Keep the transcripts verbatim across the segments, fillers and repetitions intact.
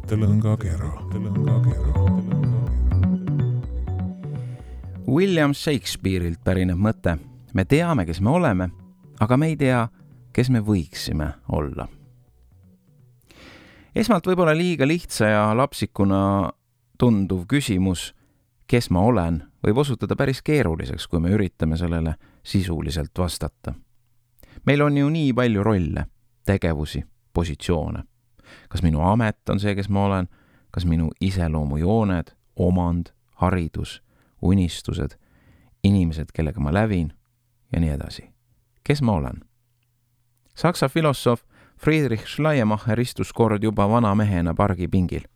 mõttelõngakera. William Shakespeare'ilt pärineb mõte. Me teame, kes me oleme, aga me ei tea, kes me võiksime olla. Esmalt võib-olla liiga lihtsa ja lapsikuna tunduv küsimus, kes ma olen, võib osutuda päris keeruliseks, kui me üritame sellele sisuliselt vastata. Meil on ju nii palju rolle, tegevusi, positsioone. Kas minu amet on see, kes ma olen, kas minu iseloomujooned, omand, haridus, unistused, inimesed, kellega ma lävin ja nii edasi. Kes ma olen? Saksa filosoof Friedrich Schleiermacher istus kord juba vana mehena pargipingil.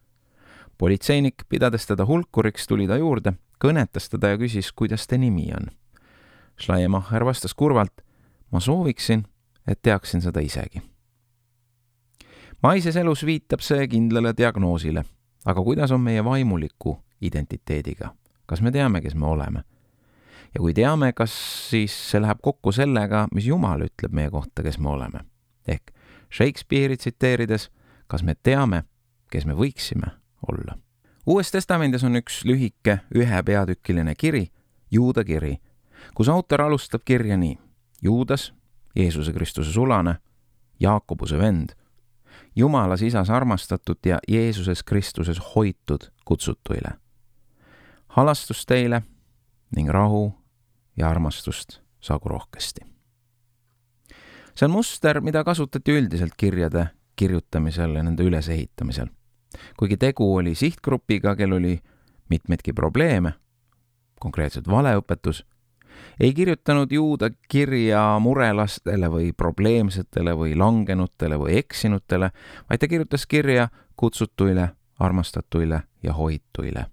Politseinik, pidades teda hulkuriks, tuli ta juurde, kõnetas teda ja küsis, kuidas te nimi on. Schleiermacher vastas kurvalt, ma sooviksin, et teaksin seda isegi. Maises elus viitab see kindlale diagnoosile, aga kuidas on meie vaimuliku identiteediga? Kas me teame, kes me oleme? Ja kui teame, kas siis see läheb kokku sellega, mis Jumal ütleb meie kohta, kes me oleme? Ehk Shakespeare'i tsiteerides, kas me teame, kes me võiksime olla? Uues testamendis on üks lühike ühe peatükkiline kiri, Juuda kiri, kus autor alustab kirja nii. Juudas, Jeesuse Kristuse sulane, Jaakobuse vend, Jumalas isas armastatud ja Jeesuses Kristuses hoitud kutsutuile. Halastust teile ning rahu ja armastust saagu rohkesti. See on muster, mida kasutati üldiselt kirjade kirjutamisel ja nende ülesehitamisel. Kuigi tegu oli sihtgrupiga, kel oli mitmeidki probleeme, konkreetselt valeõpetus, ei kirjutanud Juuda kirja murelastele või probleemsetele või langenutele või eksinutele, vaid ta kirjutas kirja kutsutuile, armastatuile ja hoituile.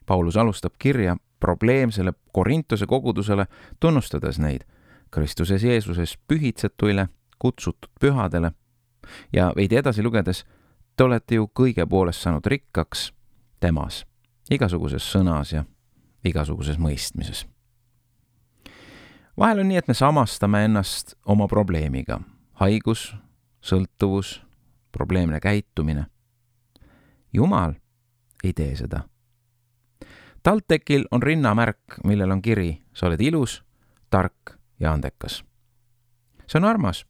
Paulus alustab kirja probleemsele Korintuse kogudusele, tunnustades neid Kristuses Jeesuses pühitsetuile, kutsutud pühadele ja veidi edasi lugedes, te olete ju kõige poolest saanud rikkaks temas, igasuguses sõnas ja igasuguses mõistmises. Vahel on nii, et me samastame ennast oma probleemiga. Haigus, sõltuvus, probleemne käitumine. Jumal ei tee seda. Taltekil on rinnamärk, millel on kiri, sa oled ilus, tark ja andekas. See on armas.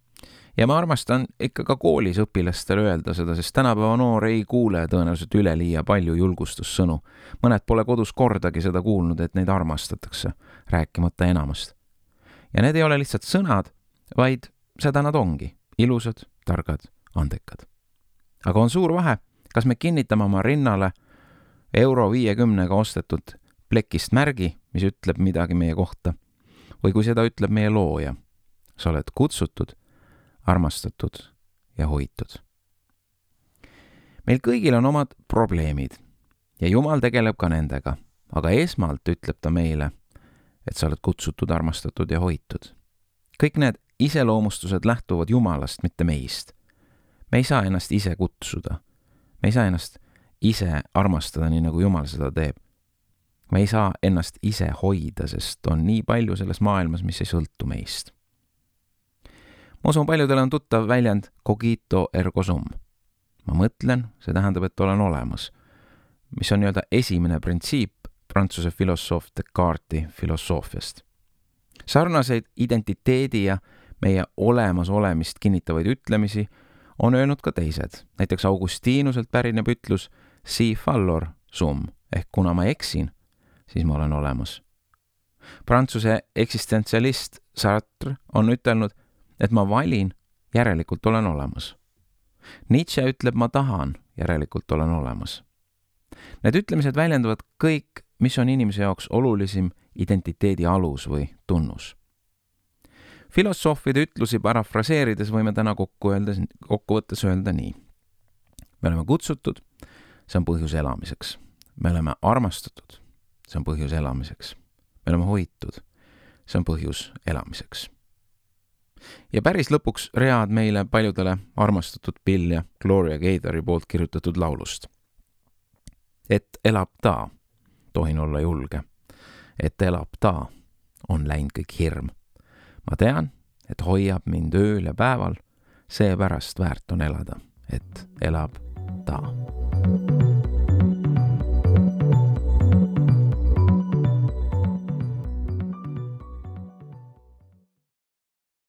Ja ma armastan ikka ka koolis õpilastele öelda seda, sest tänapäeva noor ei kuule tõenäoliselt üleliia palju julgustussõnu. Mõned pole kodus kordagi seda kuulnud, et neid armastatakse, rääkimata enamast. Ja need ei ole lihtsalt sõnad, vaid seda nad ongi, ilusad, targad, andekad. Aga on suur vahe, kas me kinnitame oma rinnale euro viiekümnega ostetud plekist märgi, mis ütleb midagi meie kohta, või kui seda ütleb meie looja. Sa oled kutsutud, armastatud ja hoitud. Meil kõigil on omad probleemid ja Jumal tegeleb ka nendega, aga esmalt ütleb ta meile, et sa oled kutsutud, armastatud ja hoitud. Kõik need iseloomustused lähtuvad Jumalast, mitte meist. Me ei saa ennast ise kutsuda. Me ei saa ennast ise armastada, nii nagu Jumal seda teeb. Me ei saa ennast ise hoida, sest on nii palju selles maailmas, mis ei sõltu meist. Ma usun, paljudele on tuttav väljend cogito ergo sum. Ma mõtlen, see tähendab, et olen olemas, mis on nii-öelda esimene printsiip Prantsuse filosoof Descartesi filosoofiast. Sarnaseid identiteedi ja meie olemas olemist kinnitavaid ütlemisi on öelnud ka teised. Näiteks Augustinuselt pärineb ütlus si fallor sum, ehk kuna ma eksin, siis ma olen olemas. Prantsuse eksistentsialist Sartre on ütelnud, et ma valin, järelikult olen olemas. Nietzsche ütleb, ma tahan, järelikult olen olemas. Need ütlemised väljendavad kõik, mis on inimese jaoks olulisim identiteedi alus või tunnus. Filosoofide ütlusi parafraseerides võime täna kokku öelda, kokkuvõttes öelda nii. Me oleme kutsutud, see on põhjus elamiseks. Me oleme armastatud, see on põhjus elamiseks. Me oleme hoitud, see on põhjus elamiseks. Ja päris lõpuks read meile paljudele armastatud Bill ja Gloria Gaynori poolt kirjutatud laulust. Et elab ta, tohin olla julge. Et elab ta, on läinud kõik hirm. Ma tean, et hoiab mind ööl ja päeval, seepärast väärt on elada, et elab ta. tšau.